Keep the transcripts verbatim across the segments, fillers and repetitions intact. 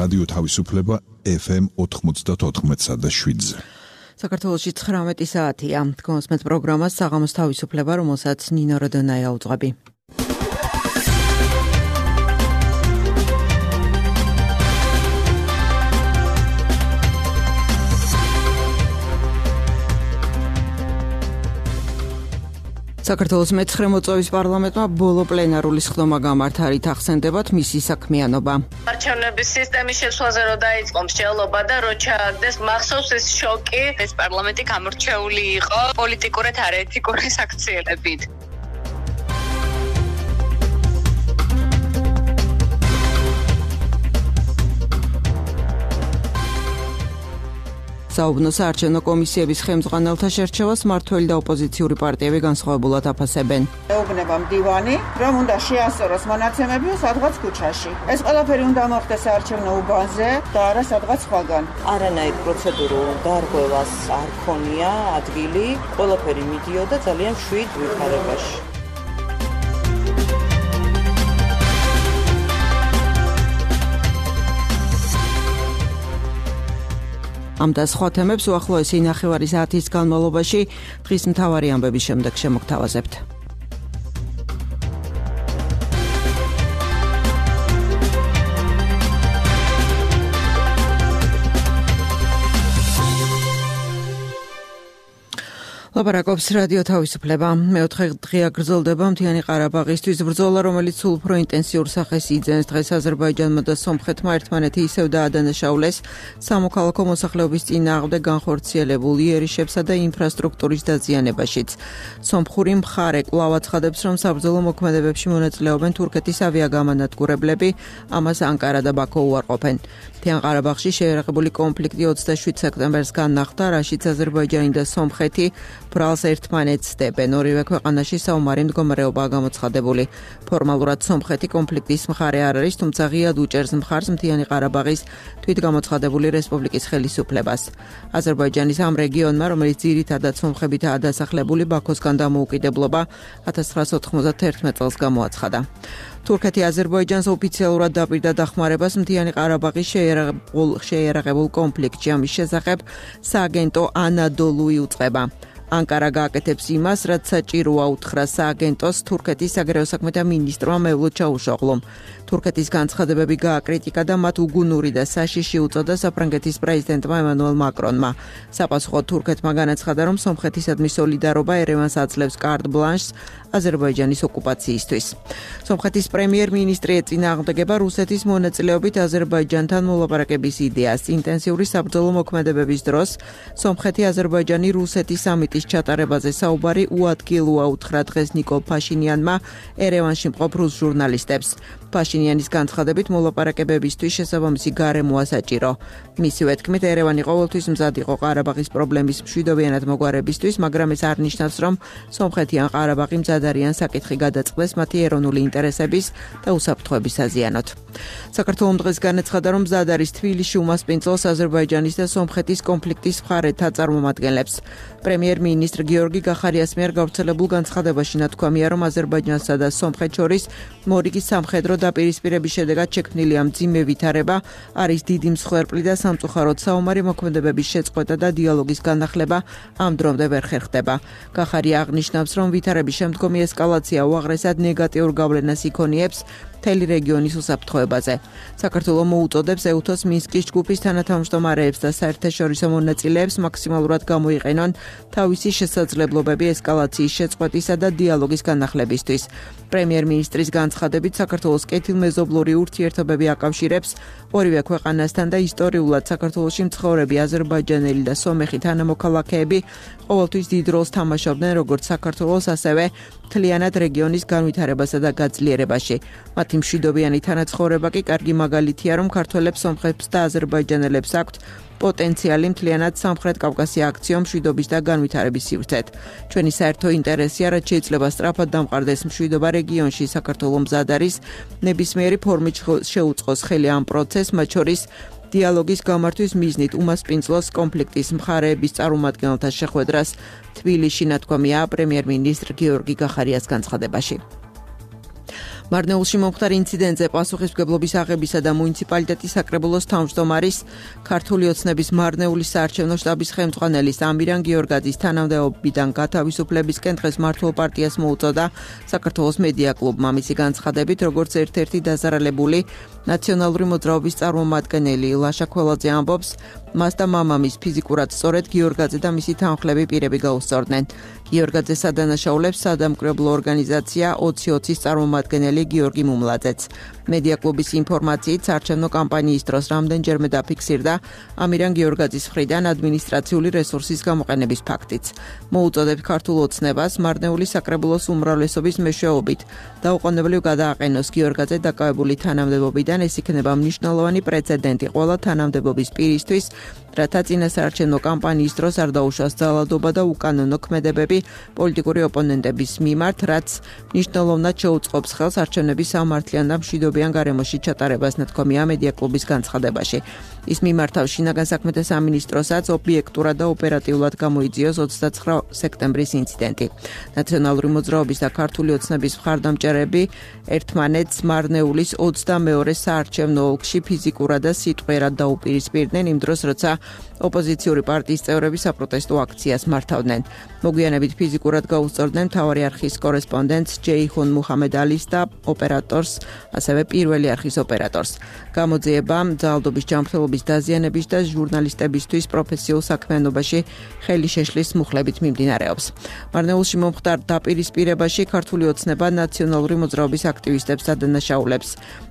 რადიო თავისუფლება ეფ ემ ოთხმოცდაოთხ და შვიდზე. საქართველოში ცხრამეტი საათია. გონსმეთ პროგრამას საღამოს თავისუფლება, რომელსაც ნინო როდონაია უძღვები. საქართველოს მეცხრე მოწვევის პარლამენტმა ბოლო პლენარული სხდომა გამართა, რით ახსენდებათ მისი საქმიანობა. არჩევნების სისტემის შეცვლაზე რო დაიწყო მსჯელობა და რო ჩააგდეს, მახსოვს ეს შოკი, ეს პარლამენტი გამორჩეული იყო პოლიტიკურად არაეთიკური საქციელებით. საუბნო საარჩევნო კომისიების ხელმძღვანელთა შერჩევას მმართველი და ოპოზიციური პარტიები განსხვავებულად აფასებენ. ეუბნება მდივანი, რომ უნდა შეასწოროს მონაცემები სადღაც ქუჩაში. ეს ყველაფერი უნდა მოხდეს საარჩევნო უბანზე და არა სადღაც სხვაგან. არანაირ პროცედურულ დარღვევას არ ქონია ადგილი, ყველაფერი მიდიოდა ძალიან მშვიდ ვითარებაში. ამ და სხვა თემებს უახლოესი ნახევარი საათის განმავლობაში დღის მთავარი ამბების შემდეგ შემოგთავაზებთ. ლაპარაკობს რადიო თავისუფლება. მეოთხე დღეა გრძელდება მთიანი ყარაბაღისთვის ბრძოლა, რომელიც სულ უფრო ინტენსიურ სახეს იძენს. დღეს აზერბაიჯანმა და სომხეთმა ერთმანეთი ისევ დაადანაშაულეს სამოქალაქო მოსახლეობის წინააღმდეგ განხორციელებულ იერიშებსა და ინფრასტრუქტურის დაზიანებაშიც. სომხური მხარე კვლავ აცხადებს, რომ საბრძოლო მოქმედებებში მონაწილეობენ თურქეთის ავიაგამანადგურებლები, ამას ანკარა და ბაქო უარყოფენ. მთიან ყარაბაღში შეერაღებული კონფლიქტი ოცდაშვიდ სექტემბერს განახლდა, რაშიც აზერბაიჯანი და სომხეთი ბრალს ერთმანეთს სდებენ. ორივე ქვეყანაში საომარი მდგომარეობაა გამოცხადებული. ფორმალურად სომხეთი კონფლიქტის მხარე არ არის, თუმცა ღიად უჭერს მხარს მთიანი ყარაბაღის თვითგამოცხადებული რესპუბლიკის ხელისუფლებას. აზერბაიჯანის ამ რეგიონმა, რომელიც ძირითადად სომხებითაა დასახლებული, ბაქოსგან დამოუკიდებლობა ათას ცხრაასა ოთხმოცდაერთმეტ წელს გამოაცხადა. თურქეთი აზერბაიჯანს ოფიციალურად დაპირდა დახმარებას მთიანი ყარაბაღის შეიარაღებულ კონფლიქტში. ამის შესახებ სააგენტო ანადოლუი უწყება. ანკარა გააკეთებს იმას, რაც საჭიროა, უთხრა სააგენტოს თურქეთის საგარეო საქმეთა მინისტრმა მევლութ ჩავუშოღლუმ. თურქეთის განცხადებები გააკრიტიკა და მათ უგუნური და საშიში უწოდა საფრანგეთის პრეზიდენტმა ემანუელ მაკრონმა. საპასუხოდ თურქეთმა განაცხადა, რომ სომხეთისადმი სოლიდარობა ერევანს აძლევს კარტ ბლანშს აზერბაიჯანის ოკუპაციისთვის. სომხეთის პრემიერ-მინისტრი ეწინააღმდეგება რუსეთის მონაწილეობით აზერბაიჯანთან მოლაპარაკების იდეას. ინტენსიური საბრძოლო მოქმედებების დროს სომხეთი, აზერბაიჯანი, რუსეთის სამიტის ჩატარებაზე საუბარი უადგილოა, უთხრა დღეს ნიკოლ ფაშინიანმა ერევანში მყოფ რუს ჟურნალისტებს. ფაშინიანის განცხადებით მოლაპარაკებებისთვის შესაბამისი გარემოა საჭირო. მისივე თქმით, ერევანი ყოველთვის მზად იყო ყარაბაღის პრობლემის მშვიდობიანად მოგვარებისთვის, მაგრამ ეს არ ნიშნავს, რომ სომხეთი ან ყარაბაღი მზად არიან საკითხი გადაწყდეს მათი ეროვნული ინტერესების და უსაფრთხოების საზიანოდ. საქართველომ დღეს განაცხადა, რომ მზად არის თბილისში უმასპინძლოს აზერბაიჯანის და სომხეთის კონფლიქტის მხარეთა წარმომადგენლებს. პრემიერ-მინისტრ გიორგი გახარიას მიერ გავრცელებულ განცხადებაში ნათქვამია, რომ აზერბაიჯანსა და სომხეთს შორის მორიგის სამხედრო დაპირისპირების შედეგად შექმნილი ამ მძიმე ვითარება არის დიდი მსხვერპლი და სამწუხაროდ საომარი მოქმედებების შეწყვეტა და დიალოგის განახლება ამ დრომდე ვერ ხერხდება. გახარია აღნიშნავს, რომ ვითარების შემდგომი ესკალაცია უაღრესად ნეგატიურ გავლენას იქონიებს მთელი რეგიონის უსაფრთხოებაზე. საქართველო მოუწოდებს ეუთოს მინსკის ჯგუფის თანათავმჯდომარეებს და საერთაშორისო მონაწილეებს მაქსიმალურად გამოიყენონ თავისი შესაძლებლობები ესკალაციის შეწყვეტისა და დიალოგის განახლებისთვის. პრემიერ-მინისტრის განცხადებით, საქართველოს კეთილმეზობლური ურთიერთობები აკავშირებს ორივე ქვეყანასთან და ისტორიულად საქართველოში მცხოვრები აზერბაიჯანელი და სომეხი თანამოქალაქეები ყოველთვის დიდ როლს თამაშობდნენ როგორც საქართველოს, ასევე მთლიანად რეგიონის განვითარებასა და გაძლიერებაში. მათი მშვიდობიანი თანაცხოვრება კი კარგი მაგალითია, რომ ქართველებს, სომხებს და აზერბაიჯანელებს აქვთ პოტენციალი მთლიანად სამხრეთ კავკასია აქციო მშვიდობის და განვითარების სივრცეთ. ჩვენი საერთო ინტერესია, რაც შეიძლება სწრაფად დამყარდეს მშვიდობა რეგიონში. საქართველო მზად არის ნებისმიერი ფორმით შეუწყოს ხელი ამ პროცესს, მათ შორის დიალოგის გამართვის მიზნით უმასპინძლოს კონფლიქტის მხარეების წარმომადგენელთა შეხვედრას თბილისში, ნათქვამია პრემიერ-მინისტრ გიორგი გახარიას განცხადებაში. მარნეულში მომხდარ ინციდენტზე პასუხისმგებლობის აღებისა და მუნიციპალიტეტის საკრებულოს თავმჯდომარის ქართული ოცნების მარნეულის საარჩევნო შტაბის ხელმძღვანელის ამირან გიორგაძის თანამდებობიდან გათავისუფლებისკენ დღეს მართლ პარტიას მოუწოდა საქართველოს მედია კლუბმა. მისი განცხადებით, როგორც ერთ-ერთი დაზარალებული ნაციონალური მოძრაობის წარმომადგენელი ლაშა ქველაძე ამბობს, მას და მამამის ფიზიკურად სწორედ გიორგაძე და მისი თანხლები პირები გაუსწორდნენ. გიორგაძე სადანაშაულებს სადამკვირვებლო ორგანიზაცია ოცი ოცის წარმომადგენელი გიორგი მუმლაძეც. მედია კლუბის ინფორმაციით საარჩევნო კამპანიის დროს რამდენჯერმე დაფიქსირდა ამირან გიორგაძის მხრიდან ადმინისტრაციული რესურსის გამოყენების ფაქტიც. მოუწოდებს ქართულ ოცნებას მარნეულის საკრებულოს უმრავლესობის მეშვეობით დაუყოვნებლივ გადააყენოს გიორგაძე დაკავებული თანამდებობიდან. ეს იქნება მნიშვნელოვანი პრეცედენტი ყველა თანამდებობის პირისთვის, რათა წინასაარჩევნო კამპანიის დროს არ დაუშვას ძალადობა და უკანონო ქმედებები პოლიტიკური ოპონენტების მიმართ, რაც მნიშვნელოვნად შეუწყობს ხელს არჩევნების სამართლიან და მშვიდობიან გარემოში ჩატარებას, ნათქვამია მედია კლუბის განცხადებაში. ის მიმართავს შინაგან საქმეთა სამინისტროსაც ობიექტურად და ოპერატიულად გამოიძიოს ოცდაცხრა სექტემბრის ინციდენტი. ნაციონალური მოძრაობის და ქართული ოცნების მხარდამჭერები ერთმანეთს მარნეულის ოცდამეორე საარჩევნო ოლქში ფიზიკურად და სიტყვიერად დაუპირისპირდნენ იმ დროს, როცა ოპოზიციური პარტიის წევრები საპროტესტო აქციას მართავდნენ. მოგვიანებით ფიზიკურად გაუსწორდნენ მთავარი არხის კორესპონდენტს ჯეიჰუნ მუჰამედ-ალის და ოპერატორს, ასევე პირველი არხის ოპერატორს. გამოძიებამ ძალადობის ჯანმრთელობის დაზიანების და ჟურნალისტებისთვის პროფესიულ საქმიანობაში ხელი შეშლის მუხლებით მიმდინარეობს. მარნეულში მომხდარ დაპირისპირებაში ქართული ოცნება ნაციონალური მოძრაობის აქტივისტებს ადანაშაულებს.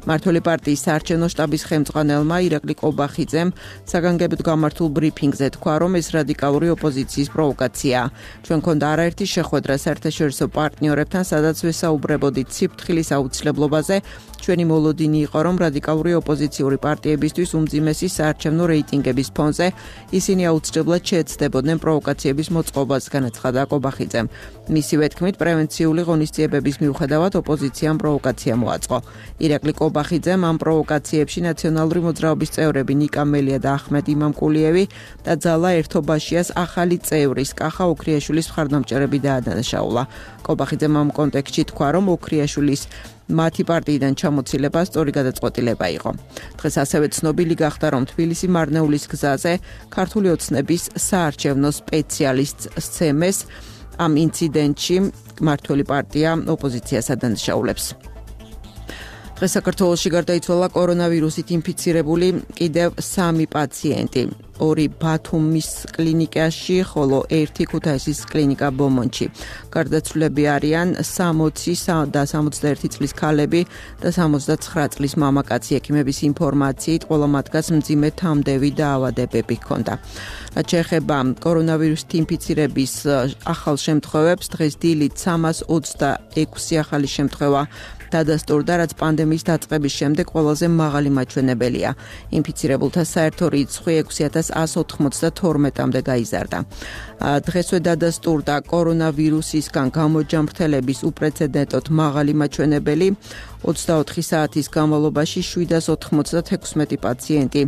მართველი პარტიის საარჩევნო შტაბის ხელმძღვანელმა ირაკლი კობახიძემ საგანგებოდ გამართულ ბრიფინგზე თქვა, რომ ეს რადიკალური ოპოზიციის პროვოკაციაა. ჩვენ გქონდა არაერთი შეხვედრა საერთაშორისო პარტნიორებთან, სადაც ვესაუბრებოდით სიფრთხილის აუცილებლობაზე. ჩვენი მოლოდინი იყო, რომ რადიკალური ოპოზიციური პარტიებისთვის უმძიმესი საარჩევნო რეიტინგების ფონზე ისინი აუცილებლად შეეცდებოდნენ პროვოკაციების მოწყობას, განაცხადა კობახიძემ. მისივე თქმით, პრევენციული ღონისძიებების მიუხედავად ოპოზიციამ პროვოკაცია მოაწყო. ირაკლი კობახიძემ ამ პროვოკაციებში ნაციონალური მოძრაობის წევრები ნიკა მელია და ახმედ იმამკულიევი და ძალა ერთობაშიას ახალი წევრის კახა ოქრიაშვილის მხარდამჭერები დაადანაშაულა. კობახიძემ ამ კონტექსტში თქვა, რომ ოქრიაშვილის მათი პარტიიდან ჩამოცილება სწორი გადაწყვეტილება იყო. დღეს ასევე ცნობილი გახდა, რომ თბილისი მარნეულის გზაზე ქართული ოცნების საარჩევნო სპეციალისტს სცემეს ამ ინციდენტში მართველი პარტია ოპოზიციას ადანაშაულებს. დღეს საქართველოში გარდაიცვალა კორონავირუსით ინფიცირებული კიდევ სამი პაციენტი. ორი ბათუმის კლინიკაში, ხოლო ერთი ქუთაისის კლინიკა ბომონში. გარდაცვლილები არიან სამოცი და სამოცდაერთი წლის ქალები და სამოცდაცხრა წლის მამაკაცი. ექიმების ინფორმაციით ყველა მათგანს მძიმე თამდევი და ავადებები ჰქონდა. რაც შეეხება კორონავირუსით ინფიცირების ახალ შემთხვევებს, დღეს დილით სამას ოცდაექვსი ახალი შემთხვევა დადასტურდა, რაც პანდემიის დაწყების შემდეგ ყველაზე მაღალი მაჩვენებელია. ინფიცირებულთა საერთო რიცხვი ექვსი ათას ასს ოთხმოცდათორმეტამდე გაიზარდა. დღესვე დადასტურდა კორონავირუსისგან გამოჯამრთელების უპრეცედენტოდ მაღალი მაჩვენებელი. ოცდაოთხი საათის განმავლობაში შვიდას ოთხმოცდათექვსმეტი პაციენტი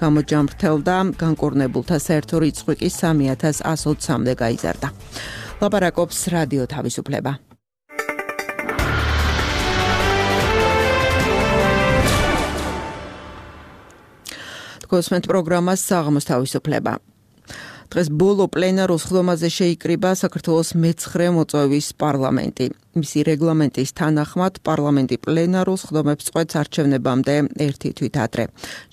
გამოჯამრთელდა, განკურნებულთა საერთო რიცხვი კი სამი ათას ასს ოცამდე გაიზარდა. ლაპარაკობს რადიო თავისუფლება. გოსმენთ პროგრამას საღამოს თავისუფლება. დღეს ბოლო პლენარულ სხდომაზე შეიკრიბა საქართველოს მეცხრე მოწვევის პარლამენტი. მისი რეგლამენტის თანახმად პარლამენტი პლენარულ სხდომებს წყვეტს არჩევნებამდე ერთი თვით ადრე.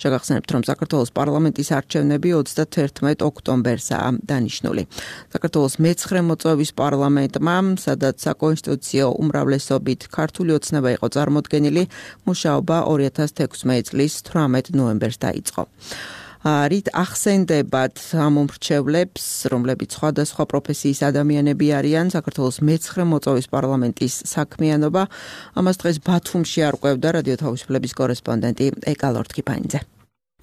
შეგახსენებთ, რომ საქართველოს პარლამენტის არჩევნები ოცდათერთმეტ ოქტომბერსაა დანიშნული. საქართველოს მეცხრე მოწვევის პარლამენტმა, სადაც საკონსტიტუციო უმრავლესობით ქართული ოცნება იყო წარმოდგენილი, მუშაობა ორი ათას თექვსმეტი წლის თვრამეტ ნოემბერს დაიწყო. რით ახსენდებათ ამ მომრჩევლებს, რომლებიც სხვადასხვა პროფესიის ადამიანები არიან, საქართველოს მეცხრე მოწვევის პარლამენტის საქმიანობა, ამას დღეს ბათუმში არკვევდა რადიო თავისუფლების კორესპონდენტი ეკა ლორთქიფანიძე.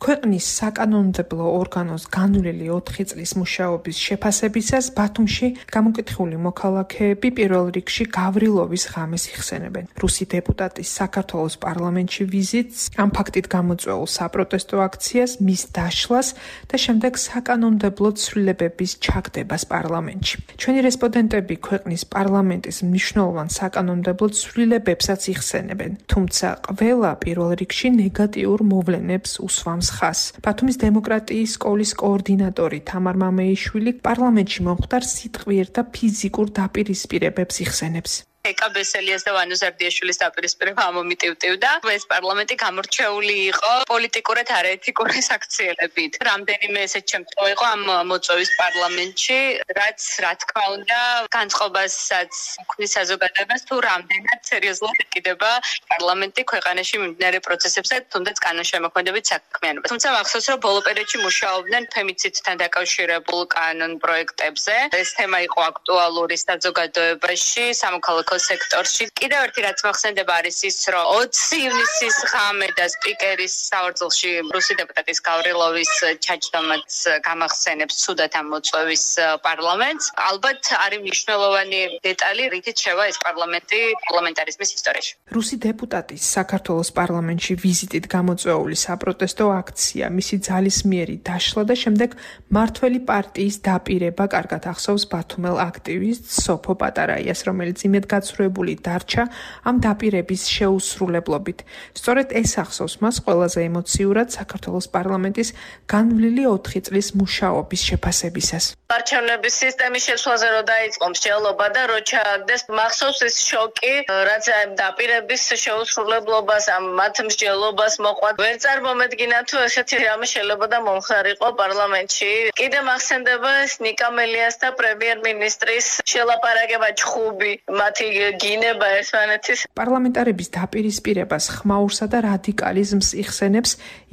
ქვეყნის საკანონმდებლო ორგანოს განვლილი ოთხი წლის მუშაობის შეფასებისას ბათუმში გამოკითხული მოქალაქეები პირველ რიგში გავრილოვის ღამეს იხსენებენ. რუსი დეპუტატის საქართველოს პარლამენტში ვიზიტს, ამ ფაქტით გამოწვეულ საპროტესტო აქციას, მის დაშლას და შემდეგ საკანონმდებლო ცვლილებების ჩაგდებას პარლამენტში. ჩვენი რესპონდენტები ქვეყნის პარლამენტის მნიშვნელოვან საკანონმდებლო ცვლილებებსაც იხსენებენ, თუმცა ყველა პირველ რიგში ნეგატიურ მოვლენებს უსვამს ხაზს. ბათუმის დემოკრატიის სკოლის კოორდინატორი თამარ მამეიშვილი პარლამენტში მომხდარ სიტყვიერ და ფიზიკურ დაპირისპირებებს იხსენებს. ეკა ბესელიას და ვანო ზარდიაშვილის დაპირისპირება ამომიტივტივდა. ეს პარლამენტი გამორჩეული იყო პოლიტიკურად არაეთიკური საქციელებით. რამდენიმე ესეთ შემთხვევა იყო ამ მოწვევის პარლამენტში, რაც რა თქმა უნდა განწყობასაც უქმნის საზოგადოებას თუ რამდენად სერიოზულად ეკიდება პარლამენტი ქვეყანაში მიმდინარე პროცესებზე, თუნდაც კანონშემოქმედებით საქმიანობას. თუმცა მახსოვს, რომ ბოლო პერიოდში მუშაობდნენ ფემიციდთან დაკავშირებულ კანონ პროექტებზე. ეს თემა იყო აქტუალური საზოგადოებაში, სამოქალაქო სექტორში. კიდევ ერთი რაც მოხსენდება არის ის, რომ ოცი ივნისის ღამე და სპიკერის საორձილში რუსი დეპუტატის გავრილოვის ჩაჯდომაც გამახსენებს ცუდად ამ მოწვევის პარლამენტს. ალბათ არის მნიშვნელოვანი დეტალი, რითიც შევა ეს პარლამენტი პარლამენტარიზმის ისტორიაში. რუსი დეპუტატის საქართველოს პარლამენტში ვიზიტით გამოწვეული საპროტესტო აქცია, მისი ძალისმიერი დაშლა და შემდეგ მართველი პარტიის დაპირება კარგად ახსოვს ბათუმელ აქტივისტ სოფო პატარაიას, რომელიც იმედ გაცრუებული დარჩა ამ დაპირების შეუსრულებლობით. სწორედ ეს ახსოვს მას ყველაზე ემოციურად საქართველოს პარლამენტის განვლილი ოთხი წლის მუშაობის შეფასებისას. არჩევნების სისტემის შეცვლაზე რო დაიწყო მსჯელობა და რო ჩააგდეს, მახსოვს ეს შოკი, რაც ამ დაპირების შეუსრულებლობას, ამ მათ მსჯელობას მოყვა. ვერ წარმომედგინა თუ ესეთი რამე შეიძლება და მომხდარიყო პარლამენტში. კიდე მახსენდება ნიკა მელიას და პრემიერ-მინისტრის შელაპარაკება ჩხუბი, მათი გინება ერთმანეთის. პარლამენტარების დაპირისპირებას ხმაურსა და რადიკალიზმს იხსენებს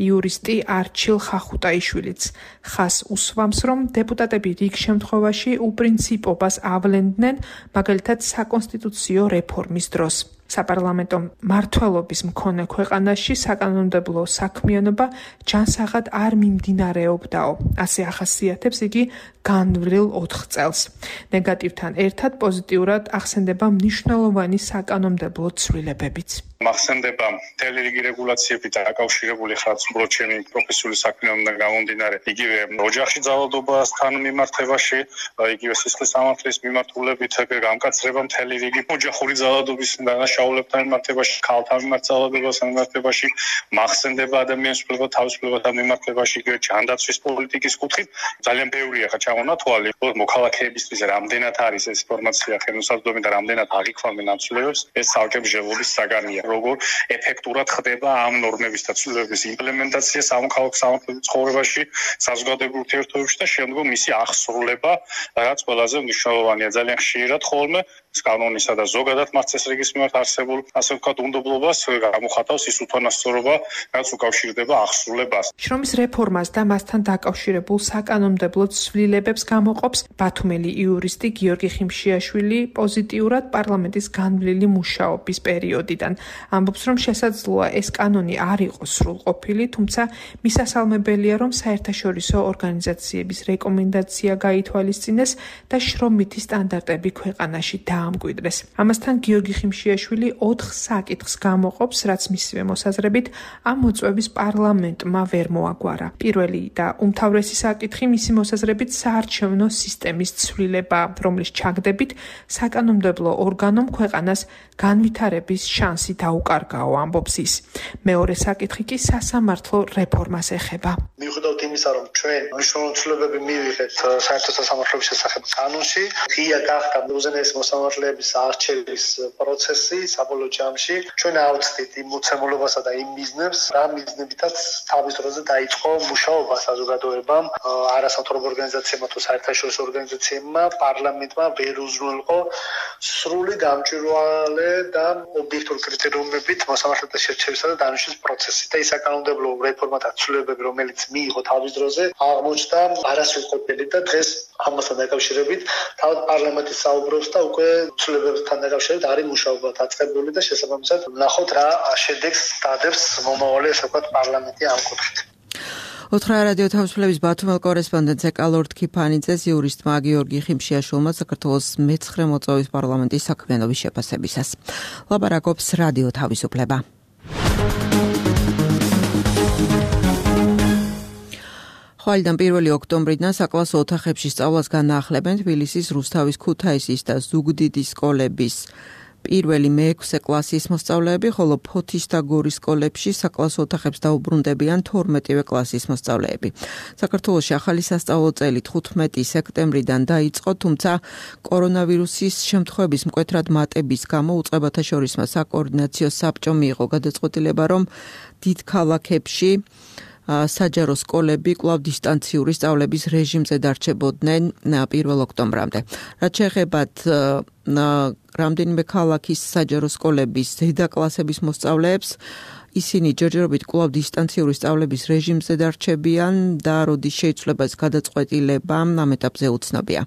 იურისტი არჩილ ხახუტაიშვილიც. ხას უსვამს, რომ დეპუტატები რიგ შემთხვევაში უპრინციპობას ავლენდნენ, მაგალითად საკონსტიტუციო რეფორმის დროს. საპარლამენტო მმართველობის მქონე ქვეყანაში საკანონმდებლო საქმიანობა ჯანსაღად არ მიმდინარეობდაო. ასე ახასიათებს იგი განვლილ ოთხ წელს. ნეგატივთან ერთად პოზიტიურად ახსენდება მნიშვნელოვანი საკანონმდებლო ცვლილებებიც. მახსენდება მთელი რიგი რეგულაციები დაკავშირებული ხარც უბრალოდ ჩემი პროფესიული საქმიანობიდან გამომდინარე, იგივე ოჯახში ძალადობასთან მიმართებაში, იგივე სისხლის სამართლის მიმართულებით გამკაცრება მთელი რიგი ოჯახური ძალადობის დანაშაულებთან მიმართებაში, ქალთან მიმართ ძალადობასთან მიმართებაში, მახსენდება ადამიანის უფლებათა თავისუფლებათა მიმართებაში, იგივე ჯანდაცვის პოლიტიკის კუთხით. ძალიან ბევრია ხა ჩამონა თვალი, მოქალაქეებისთვის რამდენად არის ეს ინფორმაცია ხელმისაწვდომი და რამდენად აღიქვამენ ამ ცვლილებებს, ეს ცალკე მსჯელობის საგანია. როგორ ეფექტურად ხდება ამ ნორმების და ცვლილებების იმპლემენტაცია სამოქალაქო სამართლებრივ ცხოვრებაში, საზოგადოებრივ ურთიერთობებში და შემდგომ მისი აღსრულება, რაც ყველაზე მნიშვნელოვანია. ძალიან ხშირად ხოლმე კანონისა და ზოგადად მართლმსაჯულების მიმართ არსებულ, ასე ვთქვათ, უნდობლობას გამოხატავს ის უთანასწორობა, რაც უკავშირდება აღსრულებას. შრომის რეფორმას და მასთან დაკავშირებულ საკანონმდებლო ცვლილებებს გამოყოფს ბათუმელი იურისტი გიორგი ხიმშიაშვილი პოზიტიურად პარლამენტის განვლილი მუშაობის პერიოდიდან. ამბობს, რომ შესაძლოა ეს კანონი არ იყოს სრულყოფილი, თუმცა მისასალმებელია, რომ საერთაშორისო ორგანიზაციების რეკომენდაცია გაითვალისწინეს და შრომითი სტანდარტები ქვეყანაში დაამკვიდრეს. ამასთან გიორგი ხიმშიაშვილი ოთხ საკითხს გამოყოფს, რაც მისივე მოსაზრებით ამ მოწვევის პარლამენტმა ვერ მოაგვარა. პირველი და უმთავრესი საკითხი მისი მოსაზრებით საარჩევნო სისტემის ცვლილება, რომლის ჩაგდებით საკანონმდებლო ორგანომ ქვეყანას განვითარების შანსი დაუკარგაო, ამბობს ის. მეორე საკითხი კი სასამართლო რეფორმას ეხება. მიუხედავად იმისა, რომ ჩვენ მნიშვნელოვანი ცვლილებები მივიღეთ საერთო სასამართლოების შესახებ კანონში, ღია გახდა უზენაესი მოსამართლეების არჩევის პროცესი საბოლოო ჯამში. ჩვენ ავწდით იმ მოცემულობასა და იმ მიზნებს, რა მიზნებითაც თავის დროზე დაიწყო მუშაობა საზოგადოებამ, არასამთავრობო ორგანიზაციებმა თუ საერთაშორისო ორგანიზაციებმა, პარლამენტმა ვერ უზრუნველყო სრული გამჭვირვალე და ობიექტური კრიტერიუმებით მოსამართლეთა შერჩევისა და დანიშნვის პროცესი და ის საკანონმდებლო რეფორმა და ცვლილებები, რომელიც მიიღო თავის დროზე, აღმოჩნდა არასრულყოფილი და დღეს ამასთან დაკავშირებით თავად პარლამენტი საუბრობს და უკვე ცვლილებებთან დაკავშირებით არის მუშაობა დაწყებული და შესაბამისად ვნახოთ რა შედეგს დადებს მომავალი ასე ვთქვათ პარლამენტი ამ კუთხით. ოთხრა რადიო თავისუფლების ბათუმელ კორესპონდენტს ეკალორდ ქიფანიძეს იურისტმა გიორგი ხიმშიაშვილმა საქართველოს მეცხრე მოწვევის პარლამენტის საქმიანობის შეფასებისას. ლაპარაკობს რადიო თავისუფლება. ხვალიდან პირველი ოქტომბრიდან საკლასო ოთახებში სწავლას განაახლებენ თბილისის რუსთავის ქუთაისის და ზუგდიდის სკოლების პირველი მეექვსე კლასის მოსწავლეები, ხოლო ფოთის და გორის სკოლებში საკლასო ოთახებს დაუბრუნდებიან თორმეტივე კლასის მოსწავლეები. საქართველოში ახალი სასწავლო წელი თხუთმეტი სექტემბრიდან დაიწყო, თუმცა კორონავირუსის შემთხვევების მკვეთრად მატების გამო უწყებათა შორისმა საკოორდინაციო საბჭომ მიიღო გადაწყვეტილება, რომ დიდ ქალაქებში საჯარო სკოლები კვლავ დისტანციური სწავლების რეჟიმზე დარჩებოდნენ პირველ ოქტომბრამდე. რაც შეეხებათ რამდენიმე ქალაქის საჯარო სკოლების ზედა კლასების მოსწავლეებს, ისინი ჯერჯერობით კვლავ დისტანციური სწავლების რეჟიმზე დარჩებიან და როდის შეიცვლება ეს გადაწყვეტილება ამ ეტაპზე უცნობია.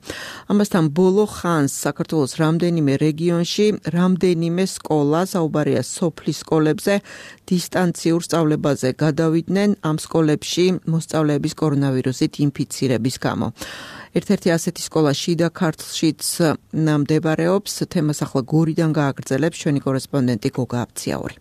ამასთან ბოლო ხანს საქართველოს რამდენიმე რეგიონში რამდენიმე სკოლა, საუბარია სოფლის სკოლებზე, დისტანციურ სწავლებაზე გადავიდნენ ამ სკოლებში მოსწავლეების კორონავირუსით ინფიცირების გამო. ერთ-ერთი ასეთი სკოლა შიდა ქართლშიც მდებარეობს. თემას ახლა გორიდან გააგრძელებს ჩვენი კორესპონდენტი გოგა აბციაური.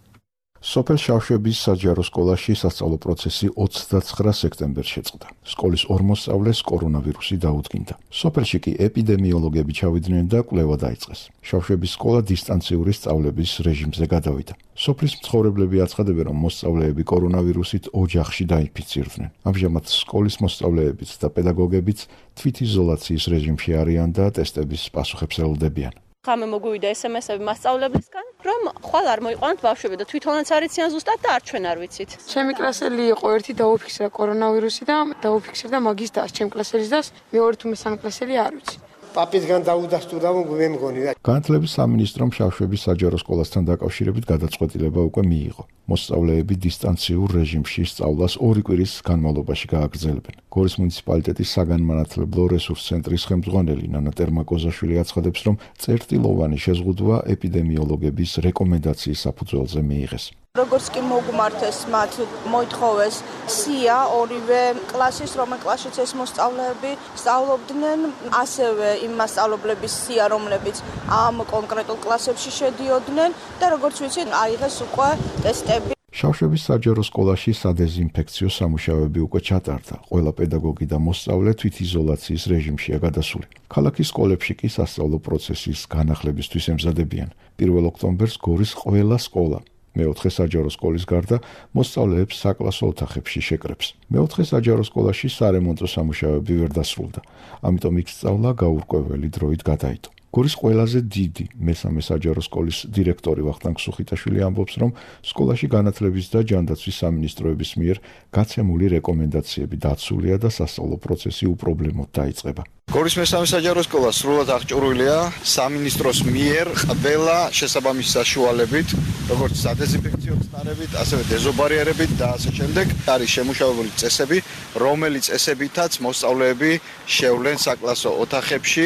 სოფელ შავშების საჯარო სკოლაში სასწავლო პროცესი ოცდაცხრა სექტემბერს შეწყდა. სკოლის ორ მოსწავლეს კორონავირუსი დაუდგინდა. სოფელში კი ეპიდემიოლოგები ჩავიდნენ და კვლევა დაიწყეს. შავშების სკოლა დისტანციური სწავლების რეჟიმზე გადავიდა. სოფლის მცხოვრებლები აცხადებენ, რომ მოსწავლეები კორონავირუსით ოჯახში დაინფიცირდნენ. ამჟამად სკოლის მოსწავლეებიც და პედაგოგებიც თვითიზოლაციის რეჟიმში არიან და ტესტების პასუხებს ელოდებიან. ხამე მოგვივიდა ესემესები მასწავლებლისგან, რომ ხვალ არ მოიყვანოთ ბავშვები და თვითონაც არიციან ზუსტად და არ ჩვენ არ ვიცით. ჩემი კლასელი იყო ერთი დაუფიქსირა კორონავირუსი და დაუფიქსირდა მაგის დას, ჩემი კლასელის დას, მეორე თუ მესამე კლასელი არ ვიცი. პაპისგან დაუდასტურდა მე მგონი. განათლების სამინისტრომ შავშების საჯარო სკოლასთან დაკავშირებით გადაწყვეტილება უკვე მიიღო. მოსწავლეები დისტანციურ რეჟიმში სწავლას ორი კვირის განმავლობაში გააგრძელებენ. გორის მუნიციპალიტეტის საგანმანათლებლო რესურს ცენტრის ხელმძღვანელი ნანა ტერმაკოზაშვილი აცხადებს, რომ წერტილოვანი შეზღუდვა ეპიდემიოლოგების რეკომენდაციის საფუძველზე მიიღეს. როგორც კი მოგმართეს მათ მოითხოვეს სია ორივე კლასის, რომელ კლასშიც ეს მოსწავლეები სწავლობდნენ, ასევე იმ მასწავლებლების სია, რომლებიც ამ კონკრეტულ კლასებში შედიოდნენ და როგორც ვიცით, აიღეს უკვე ტესტები. შავშების საჯარო სკოლაში სადეზინფექციო სამუშაოები უკვე ჩატარდა. ყველა პედაგოგი და მოსწავლე თვითიზოლაციის რეჟიმშია გადასული. ქალაქის სკოლებში კი სასწავლო პროცესის განახლებისთვის ემზადებიან. პირველ ოქტომბერს გორის ყველა სკოლა მეოთხე საჯარო სკოლის გარდა მოსწავლეებს საკლასო ოთახებში შეკრებს. მეოთხე საჯარო სკოლაში სარემონტო სამუშაოები ვერ დასრულდა, ამიტომ იქ სწავლა გაურკვეველი დროით გადაიდო. გორის ყველაზე დიდი მესამე საჯარო სკოლის დირექტორი ვახტანგ სუხიტაშვილი ამბობს, რომ სკოლაში განათლების და ჯანდაცვის სამინისტროების მიერ გაცემული რეკომენდაციები დაცულია და სასწავლო პროცესი უპრობლემოდ დაიწყება. გორის მესამე საჯარო სკოლა სრულად აღჭურვილია სამინისტროს მიერ ყველა შესაბამისი საშუალებით, როგორც სადეზინფექციო წნარებით, ასევე დეზობარიერებით და ასე შემდეგ. არის შემუშავებული წესები, რომელიც წესებითაც მოსწავლეები შევლენ საკლასო ოთახებში.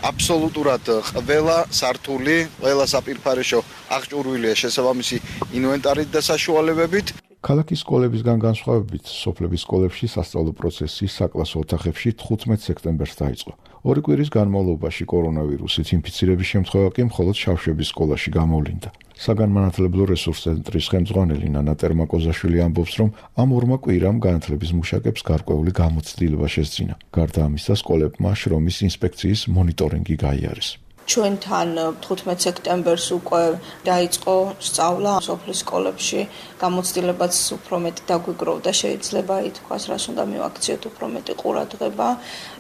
აბსოლუტურად ყველა სართული, ყველა საპირფარეშო აღჭურვილია შესაბამისი ინვენტარით და საშუალებებით. ქალაქის სკოლებისგან განსხვავებით, სოფლების სკოლებში სასწავლო პროცესი საკლასო ოთახებში თხუთმეტ სექტემბერს დაიწყო. ორი კვირის განმავლობაში კორონავირუსით ინფიცირების შემთხვევა კი მხოლოდ შავშების სკოლაში გამოვლინდა. საგანმანათლებლო რესურს ცენტრის ხელმძღვანელი ნანა ტერმაკოზაშვილი ამბობს, რომ ამ ორმა კვირამ განათლების მუშაკებს გარკვეული გამოცდილება შესძინა. გარდა ამისა, სკოლებმა შრომის ინსპექციის მონიტორინგი გაიარეს. ჩვენთან თხუთმეტ სექტემბერს უკვე დაიწყო სწავლა სოფლის სკოლებში, გამოცდილებაც უფრო მეტი დაგვიგროვდა, შეიძლება ითქვას, რას უნდა მივაქციოთ უფრო მეტი ყურადღება.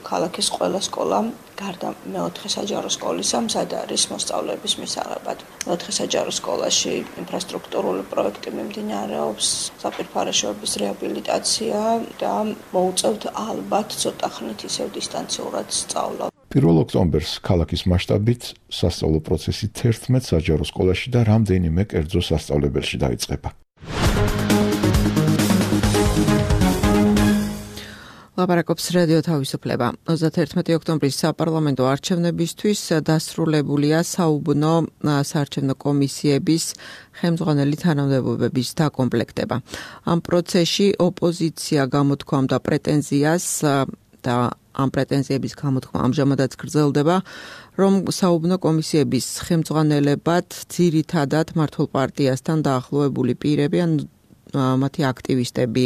ქალაქის ყველა სკოლა გარდა მეოთხე საჯარო სკოლისა, მზად არის მოსწავლეების მისაღებად. მეოთხე საჯარო სკოლაში ინფრასტრუქტურული პროექტი მიმდინარეობს, საპირფარეშოების რეაბილიტაცია და მოუწევთ ალბათ ცოტა ხნით ისევ დისტანციურად სწავლა. პირველ ოქტომბერს ქალაქის მასშტაბით სასწავლო პროცესი თერთმეტ საჯარო სკოლაში და რამდენიმე კერძო სასწავლებელში დაიწყება. ლაპარაკობს რადიო თავისუფლება. ოცდაერთმეტი ოქტომბრის საპარლამენტო არჩევნებისთვის დასრულებულია საუბნო საარჩევნო კომისიების ხელმძღვანელი თანამდებობების დაკომპლექტება. ამ პროცესში ოპოზიცია გამოთქვამდა პრეტენზიას და ამ პრეტენზიების გამოთქმა ამჟამადაც გრძელდება, რომ საუბნო კომისიების ხელმძღვანელებად ძირითადად მართლ პარტიასთან დაახლოებული პირები ან მათი აქტივისტები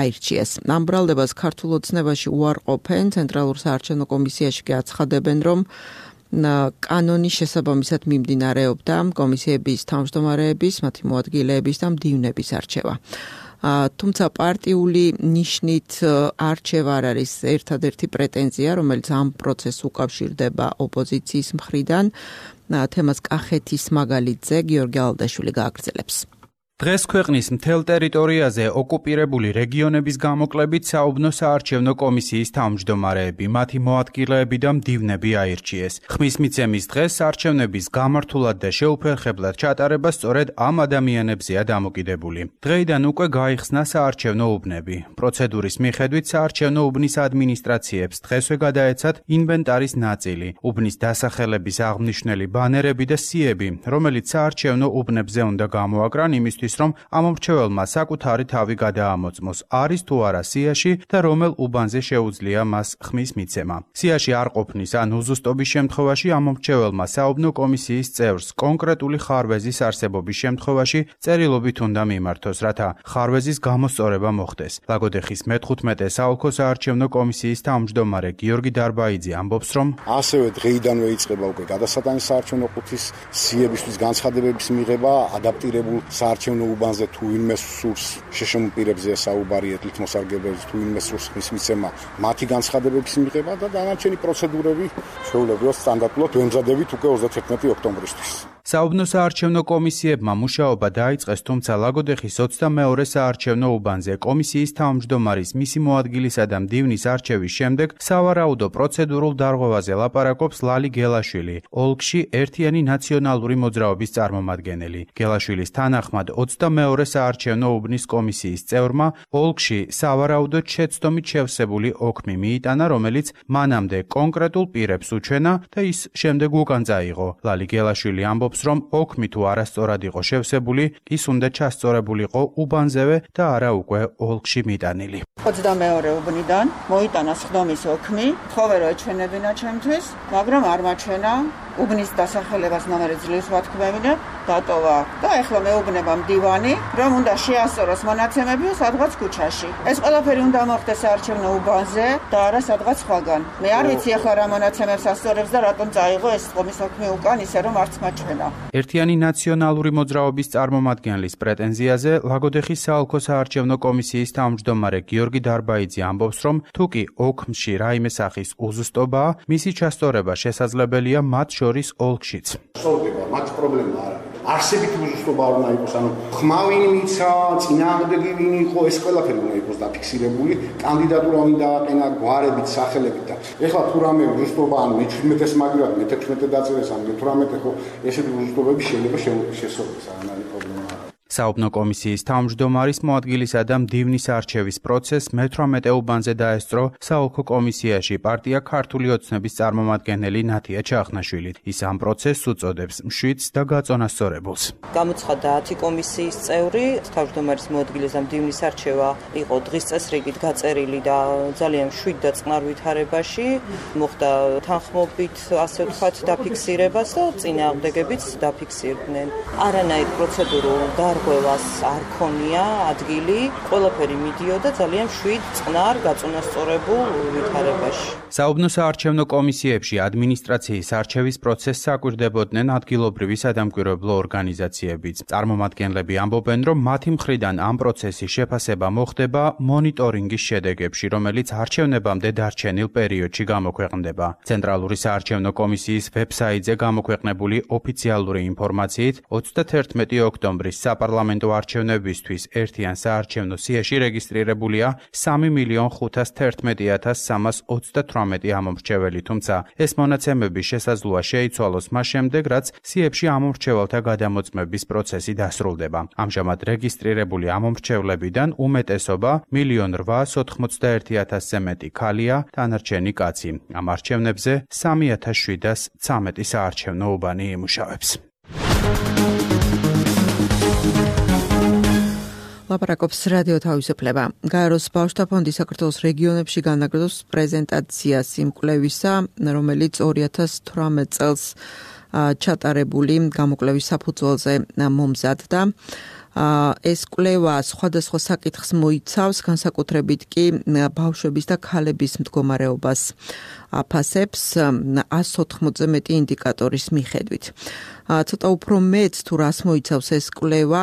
აირჩიეს. ამ ბრალდებას ქართულ ოცნებაში უარყოფენ, ცენტრალურ საარჩევნო კომისიაში კი აცხადებენ, რომ კანონის შესაბამისად მიმდინარეობდა კომისიების თავმჯდომარეების, მათი მოადგილეების და მდივნების არჩევა. თუმცა პარტიული ნიშნით არჩევა არ არის ერთადერთი პრეტენზია, რომელიც ამ პროცესს უკავშირდება ოპოზიციის მხრიდან. თემას კახეთის მაგალითზე გიორგი ალდაშვილი გააგრძელებს. დღეს ქვეყნის მთელ ტერიტორიაზე ოკუპირებული რეგიონების გამოკლებით საუბნო საარჩევნო კომისიის თავმჯდომარეები, მათი მოადგილეები და მდივნები აირჩიეს. ხმის მიცემის დღეს არჩევნების გამართულად და შეუფერხებლად ჩატარება სწორედ ამ ადამიანებზეა დამოკიდებული. დღეიდან უკვე გაიხსნა საარჩევნო უბნები. პროცედურის მიხედვით საარჩევნო უბნის ადმინისტრაციებს დღესვე გადაეცათ ინვენტარის ნაწილი, უბნის დასახელების აღნიშნული ბანერები და სიები, რომელიც საარჩევნო უბნებზე უნდა გამოაკრან იმისთვის, რომ ამომრჩეველმა საკუთარი თავი გადაამოწმოს, არის თუ არა სიაში და რომელ უბანზე შეუძლია მას ხმის მიცემა. სიაში არ ყოფნის ან უზუსტობის შემთხვევაში ამომრჩეველმა საუბნო კომისიის წევრს კონკრეტული ხარვეზის არსებობის შემთხვევაში წერილობით უნდა მიმართოს, რათა ხარვეზის გამოსწორება მოხდეს. ლაგოდეხის მეთხუთმეტე საოლქო საარჩევნო კომისიის თავმჯდომარე გიორგი დარბაიძე ამბობს, რომ ასევე დღეიდანვე იწყება უკვე გადასატანის საარჩევნო ყუთის სიებისთვის განცხადებების მიღება, ადაპტირებულ საარჩევნო უბანზე თუ ვინმე სურს შეშემოპირებზეა საუბარი ეთლით მოსარგებლებს თუ ვინმე სურს ხმის მიცემა მათი განცხადებების მიღება და დანარჩენი პროცედურები შეულებრივად სტანდარტულად ვემზადებით უკვე ოცდაერთმეტი ოქტომბრისთვის. საუბნო საარჩევნო კომისიებმა მუშაობა დაიწყეს, თუმცა ლაგოდეხის ოცდამეორე საარჩევნო უბანზე კომისიის თავმჯდომარის, მისი მოადგილისა და მდივნის არჩევის შემდეგ სავარაუდო პროცედურულ დარღვევაზე ლაპარაკობს ლალი გელაშვილი, ოლქში ერთიანი ნაციონალური მოძრაობის წარმომადგენელი. გელაშვილის თანახმად ოცდამეორე საარჩევნო უბნის კომისიის წევრმა ოლქში სავარაუდოდ შეცდომით შევსებული ოქმი მიიტანა, რომელიც მანამდე კონკრეტულ პირებს უჩვენა და ის შემდეგ უკან წაიღო. ლალი გელაშვილი ამბობს, რომ ოქმი თუ არასწორად იყო შევსებული, ის უნდა ჩასწორებულიყო უბანზევე და არა უკვე ოლქში მიტანილი. ოცდამეორე უბნიდან მოიტანა სხდომის ოქმი, თხოვე რომ ეჩვენებინა ჩემთვის, მაგრამ არ მაჩვენა. უბნის დასახელებას ნომერი ძლივს ვათქმევინებ, დატოვა და ეხლა მეუბნება მდივანი, რომ უნდა შეასწოროს მონაცემები სადღაც ქუჩაში. ეს ყველაფერი უნდა მოხდეს საარჩევნო უბანზე და არა სადღაც სხვაგან. მე არ ვიცი ეხლა რა მონაცემებს ასწორებს და რატომ წაიღო ეს სხდომის ოქმი უკან, ისე რომ არც მაჩვენა. ერთიანი ნაციონალური მოძრაობის წარმომადგენლის პრეტენზიაზე ლაგოდეხის საოლქო საარჩევნო კომისიის თავმჯდომარე გიორგი დარბაიძე ამბობს, რომ თუკი ოქმში რაიმე სახის უზუსტობაა, მისი ჩასწორება შესაძლებელია მათ შორის ოლქშიც. სწორდება, მათ პრობლემა არ არის. არსებით უზუსტობა არ უნდა იყოს, ანუ ხმავინი მიცა, წინააღმდეგი ვინ იყო, ეს ყველაფერი უნდა იყოს დაფიქსირებული, კანდიდატურა უნდა დააყენა გვარებით, სახელებით და ეხლა თუ რამე უზუსტობა ან მეჩვიდმეტეს მაგივრად, მეთექვსმეტე დაწერეს ან მეთვრამეტე ხო, ესეთი უზუსტობები შეიძლება შესწორდეს, არ არის პრობლემა. საუბნო კომისიის თავმჯდომარის, მოადგილისა და მდივნის არჩევის პროცესს მეთვრამეტე უბანზე დაესწრო საოლქო კომისიაში პარტია ქართული ოცნების წარმომადგენელი ნათია ჩახნაშვილი. ის ამ პროცესს უწოდებს მშვიდს და გაწონასწორებულს. გამოცხადდა ათი კომისიის წევრი, თავმჯდომარის, მოადგილის და მდივნის არჩევა იყო დღის წესრიგით გაწერილი და ძალიან მშვიდ და წყნარ ვითარებაში, მოხდა თანხმობით, ასე ვთქვათ, დაფიქსირებას და წინააღმდეგებიც დაფიქსირდნენ. არანაირ პროცედურულ დარღვევას არ ქონია ადგილი, ყველაფერი მიდიოდა ძალიან მშვიდ, წყნარ, გაწონასწორებულ ვითარებაში. საუბნო საარჩევნო კომისიებში ადმინისტრაციის არჩევის პროცესს აკვირდებოდნენ ადგილობრივი სადამკვირვებლო ორგანიზაციებიც. წარმომადგენლები ამბობენ, რომ მათი მხრიდან ამ პროცესის შეფასება მოხდება მონიტორინგის შედეგებში, რომელიც არჩევნებამდე დარჩენილ პერიოდში გამოქვეყნდება. ცენტრალური საარჩევნო კომისიის ვებსაიტზე გამოქვეყნებული ოფიციალური ინფორმაციით ოცდაერთმეტი ოქტომბრის საპარლამენტო საპარლამენტო არჩევნებისთვის ერთიან საარჩევნო სიაში რეგისტრირებულია სამი მილიონ ხუთას თერთმეტი ათას სამას ოცდათვრამეტი ამომრჩეველი, თუმცა ეს მონაცემები შესაძლოა შეიცვალოს მას შემდეგ, რაც სიებში ამომრჩეველთა გადამოწმების პროცესი დასრულდება. ამჟამად რეგისტრირებული ამომრჩევლებიდან უმეტესობა მილიონ რვაას ოთხმოცდაერთი ათასზე მეტი ქალია, დანარჩენი კაცი. ამ არჩევნებზე სამი ათას შვიდას ცამეტი საარჩევნო უბანი იმუშავებს. ლაპარაკობს რადიო თავისუფლება. გაეროს ბავშვთა ფონდი საქართველოს რეგიონებში განაგრძობს პრეზენტაციას იმ კვლევისა, რომელიც ორი ათას თვრამეტ წელს ჩატარებული გამოკვლევის საფუძველზე მომზადდა. ეს კვლევა სხვადასხვა საკითხს მოიცავს, განსაკუთრებით კი ბავშვების და ქალების მდგომარეობას აფასებს ას ოთხმოცზე მეტი ინდიკატორის მიხედვით. ცოტა უფრო მეც თუ რას მოიცავს ეს კვლევა,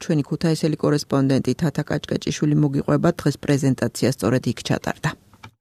ჩვენი ქუთაისელი კორესპონდენტი თათა კაჭკაჭიშვილი მოგიყვება, დღეს პრეზენტაცია სწორედ იქ ჩატარდა.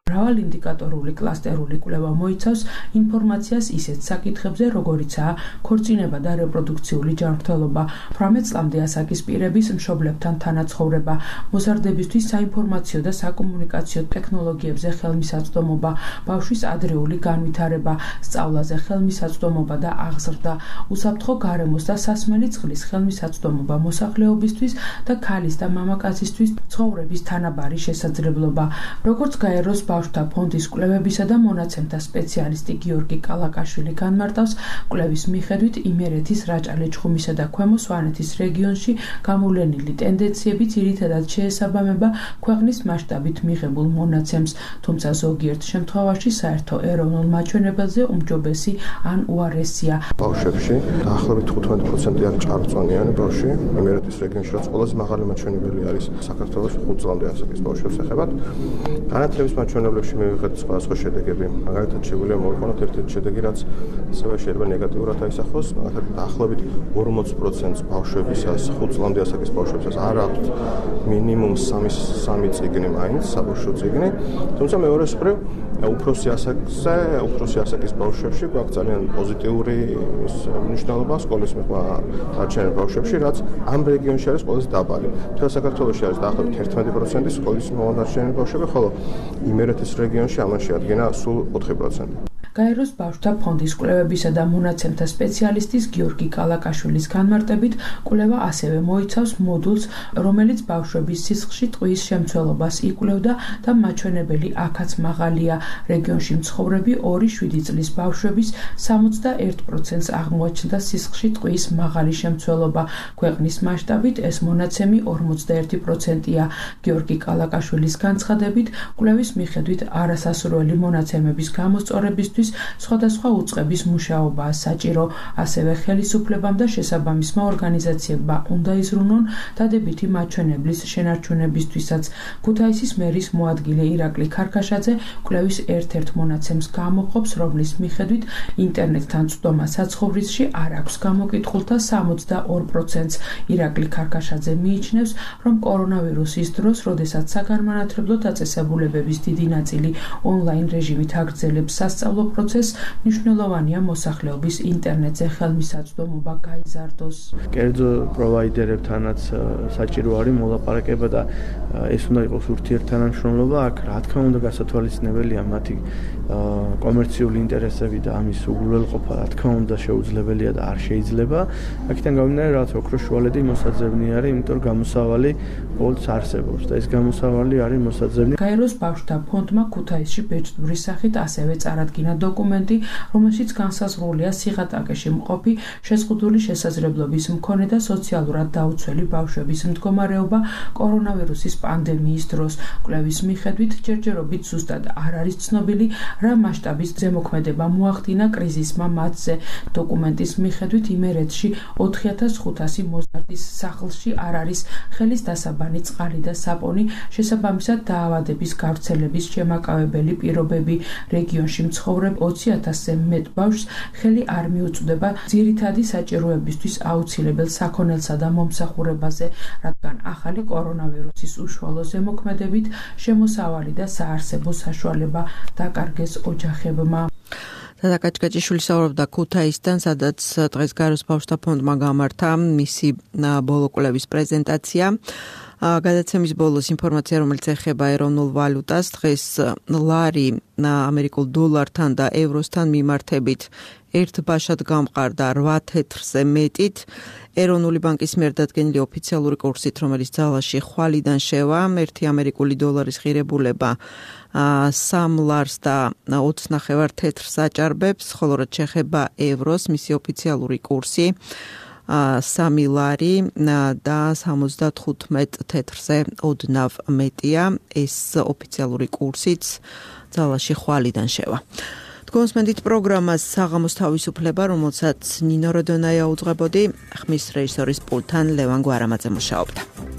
მრავალ ინდიკატორული კლასტერული კვლევა მოიცავს ინფორმაციას ისეთ საკითხებზე, როგორიცაა ქორწინება და რეპროდუქციული ჯანმრთელობა, თვრამეტ წლამდე ასაკის პირების მშობლებთან თანაცხოვრება, მოზარდებისთვის საინფორმაციო და საკომუნიკაციო ტექნოლოგიებზე ხელმისაწვდომობა, ბავშვის ადრეული განვითარება, სწავლაზე ხელმისაწვდომობა და აღზრდა, უსაფრთხო გარემოს და სასმელი წყლის ხელმისაწვდომობა მოსახლეობისთვის და ქალის და მამაკაცისთვის ცხოვრების თანაბარი შესაძლებლობა. როგორც გაეროს ბავშვთა ფონდის კვლევებისა და მონაცემთა სპეციალისტი გიორგი კალაკაშვილი განმარტავს, კვლევის მიხედვით იმერეთის, რაჭა-ლეჩხუმისა და ქვემო სვანეთის რეგიონში გამოვლენილი ტენდენციები ძირითადად შეესაბამება ქვეყნის მასშტაბით მიღებულ მონაცემს, თუმცა ზოგიერთ შემთხვევაში საერთო ეროვნულ მაჩვენებელზე უმჯობესი ან უარესია. ბავშვებში დაახლოებით თხუთმეტ პროცენტი არის ჭარბწონიანი ბავშვი, იმერეთის რეგიონში რაც ყველაზე მაღალი მაჩვენებელი არის საქართველოს ხუთ წლამდე ასაკის ბავშვებს ეხებათ. განათლების მაჩვენებლებში მივიღეთ სხვადასხვა შედეგები. მაგალითად, შეგვიძლია მოვიყვანოთ ერთ-ერთი შედეგი, რაც ასევე შეიძლება ნეგატიურად აისახოს. მაგალითად, დაახლოებით ორმოც პროცენტს ბავშვებისას, ხუთ წლამდე ასაკის ბავშვებისას არ აქვთ მინიმუმ სამი წიგნი მაინც, საბავშვო წიგნი. თუმცა მეორე მხრივ, უფროსი ასაკზე, უფროსი ასაკის ბავშვებში გვაქვს ძალიან პოზიტიური მნიშვნელობა სკოლის მიღმა არჩევნებ ბავშვებში, რაც ამ რეგიონში არის ყველაზე დაბალი. მთელ საქართველოში არის დაახლოებით ერთმეტი პროცენტი სკოლის მომარჩენელი ბავშვები, ხოლო იმერეთის რეგიონში ამან შეადგენა სულ ოთხი პროცენტი. გაეროს ბავშვთა ფონდის კვლევებისა და მონაცემთა სპეციალისტის გიორგი კალაკაშვილის განმარტებით, კვლევა ასევე მოიცავს მოდულს, რომელიც ბავშვების სისხლში ტყვის შემცველობას იკვლევდა და მაჩვენებელი აქაც მაღალია. რეგიონში მცხოვრები ორი შვიდი წლის ბავშვების სამოცდაერთ პროცენტს აღმოაჩნდა სისხლში ტყვის მაღალი შემცველობა. ქვეყნის მასშტაბით ეს მონაცემი ორმოცდაერთი პროცენტია. გიორგი კალაკაშვილის განცხადებით, კვლევის მიხედვით არასასურველი მონაცემების გამოსწორებისთვის სხვადასხვა უწყების მუშაობაა საჭირო, ასევე ხელისუფლებამ და შესაბამისმა ორგანიზაციებმა უნდა იზრუნონ დადებითი მაჩვენებლის შენარჩუნებისთვისაც. ქუთაისის მერის მოადგილე ირაკლი ქარქაშაძე კვლევის ერთ-ერთ მონაცემს გამოყოფს, რომლის მიხედვით ინტერნეტთან წვდომა საცხოვრისში არ აქვს გამოკითხულთა სამოცდაორ პროცენტს. ირაკლი ქარქაშაძე მიიჩნევს, რომ კორონავირუსის დროს, როდესაც საგანმანათლებლო დაწესებულებების დიდი ნაწილი ონლაინ რეჟიმით აგრძელებს სასწავლო პროცესს, მნიშვნელოვანია მოსახლეობის ინტერნეტზე ხელმისაწვდომობა გაიზარდოს. კერძო პროვაიდერებთანაც საჭირო არის მოლაპარაკება და ეს უნდა იყოს ურთიერთთანამშრომლობა. აქ რა თქმა უნდა გასათვალისწინებელია მათი კომერციული ინტერესები და ამის უგულველყოფა, რა თქმა უნდა შეუძლებელია და არ შეიძლება. აქედან გამომდინარე, რაც ოქროს შუალედი მოსაძებნი არის, იმიტომ რომ გამოსავალი ყოველთვის არსებობს და ეს გამოსავალი არის მოსაძებნი. გაეროს ბავშვთა ფონდმა ქუთაისში ბეჭდვრის სახით ასევე წარადგინა დოკუმენტი, რომელშიც განსაზღვრულია სიღატაკეში მყოფი შეზღუდული შესაძლებლობის მქონე და სოციალურად დაუცველი ბავშვების მდგომარეობა კორონავირუსის პანდემიის დროს. კვლევის მიხედვით ჯერჯერობით ზუსტად არ არის ცნობილი, რა მასშტაბის ზემოქმედება მოახდინა კრიზისმა მათზე. დოკუმენტის მიხედვით იმერეთში ოთხი ათას ხუთასი მოზარდის სახლში არ არის ხელის დასაბანი წყალი და საპონი, შესაბამისად დაავადების გავრცელების შემაკავებელი პირობები. რეგიონში მცხოვრებ ოცი ათასზე მეტ ბავშვს ხელი არ მიუწვდება ძირითადი საჭიროებისთვის აუცილებელ საქონელსა და მომსახურებაზე, რადგან ახალი კორონავირუსის უშუალო ზემოქმედებით შემოსავალი და საარსებო საშუალება დაკარგეს ოჯახებმა. და კაჭკაჭიშვილი საუბრობდა ქუთაისთან, სადაც დღეს გაეროს ბავშვთა ფონდმა გამართა მისი ბოლო კვლევის პრეზენტაცია. გადაცემის ბოლოს ინფორმაცია, რომელიც ეხება ეროვნულ ვალუტას, დღეს ლარი ამერიკულ დოლართან და ევროსთან მიმართებით ერთ ბაშად გამყარდა რვა თეთრზე მეტით. ეროვნული ბანკის მიერ დადგენილი ოფიციალური კურსით, რომელიც ძალაში ხვალიდან შევა, ერთი ამერიკული დოლარის ღირებულება სამ ლარს და ოცს ნახევარ თეთრს აჭარბებს, ხოლო რაც შეეხება ევროს, მისი ოფიციალური კურსი სამი ლარი და სამოცდათხუთმეტ თეთრზე ოდნავ მეტია. ეს ოფიციალური კურსიც ძალაში ხვალიდან შევა. გონსმენდით პროგრამას საღამოს თავისუფლება, რომელსაც ნინო როდონაია უძღვებოდი, ხმის რეჟისორის პულტთან ლევან გვარამაძე მუშაობდა.